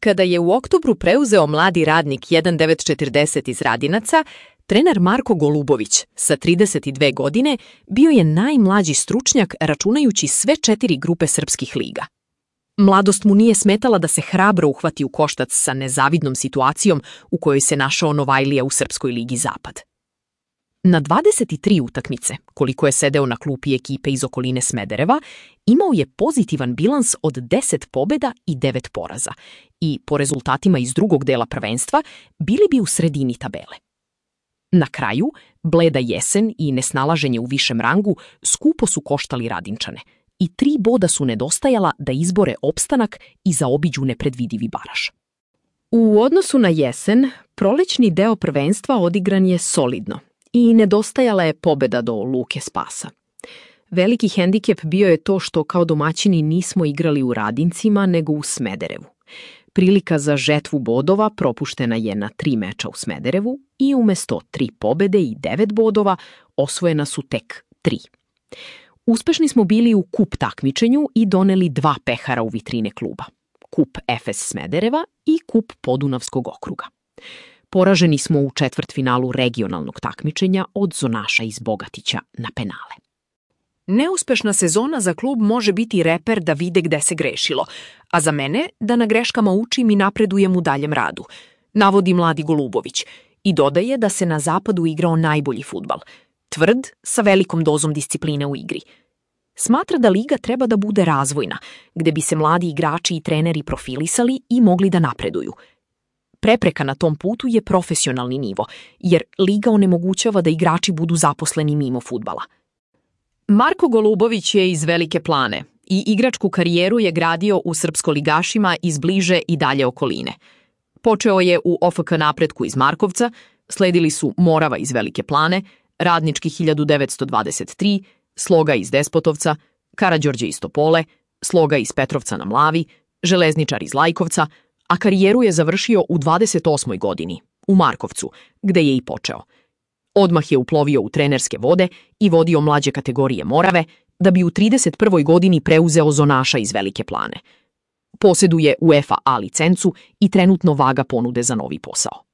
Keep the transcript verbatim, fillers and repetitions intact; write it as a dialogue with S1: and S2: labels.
S1: Kada je u oktobru preuzeo mladi radnik hiljadu devetsto četrdeset iz Radinaca, trener Marko Golubović sa trideset dve godine bio je najmlađi stručnjak računajući sve četiri grupe srpskih liga. Mladost mu nije smetala da se hrabro uhvati u koštac sa nezavidnom situacijom u kojoj se našao Novajlija u Srpskoj ligi Zapad. Na dvadeset tri utakmice, koliko je sedeo na klupi ekipe iz okoline Smedereva, imao je pozitivan bilans od deset pobjeda i devet poraza i, po rezultatima iz drugog dela prvenstva, bili bi u sredini tabele. Na kraju, bleda jesen i nesnalaženje u višem rangu skupo su koštali Radinčane i tri boda su nedostajala da izbore opstanak i zaobiđu nepredvidivi baraž. U odnosu na jesen, prolećni deo prvenstva odigran je solidno i nedostajala je pobjeda do Luke Spasa. Veliki hendikep bio je to što kao domaćini nismo igrali u Radincima nego u Smederevu. Prilika za žetvu bodova propuštena je na tri meča u Smederevu i umjesto tri pobjede i devet bodova osvojena su tek tri. Uspešni smo bili u kup takmičenju i doneli dva pehara u vitrine kluba. Kup Efes Smedereva i kup Podunavskog okruga. Poraženi smo u četvrtfinalu regionalnog takmičenja od Zonaša iz Bogatića na penale.
S2: Neuspešna sezona za klub može biti reper da vide gde se grešilo, a za mene da na greškama učim i napredujem u daljem radu, navodi mladi Golubović i dodaje da se na zapadu igrao najbolji fudbal, tvrd sa velikom dozom discipline u igri. Smatra da liga treba da bude razvojna, gde bi se mladi igrači i treneri profilisali i mogli da napreduju. Prepreka na tom putu je profesionalni nivo, jer liga onemogućava da igrači budu zaposleni mimo fudbala.
S1: Marko Golubović je iz Velike Plane i igračku karijeru je gradio u srpskoligašima iz bliže i dalje okoline. Počeo je u O F K Napretku iz Markovca, sledili su Morava iz Velike Plane, Radnički hiljadu devetsto dvadeset tri, Sloga iz Despotovca, Karađorđe iz Topole, Sloga iz Petrovca na Mlavi, Železničar iz Lajkovca, a karijeru je završio u dvadeset osmoj godini, u Markovcu, gde je i počeo. Odmah je uplovio u trenerske vode i vodio mlađe kategorije Morave, da bi u trideset prvoj godini preuzeo Zonaša iz Velike Plane. Posjeduje UEFA A licencu i trenutno vaga ponude za novi posao.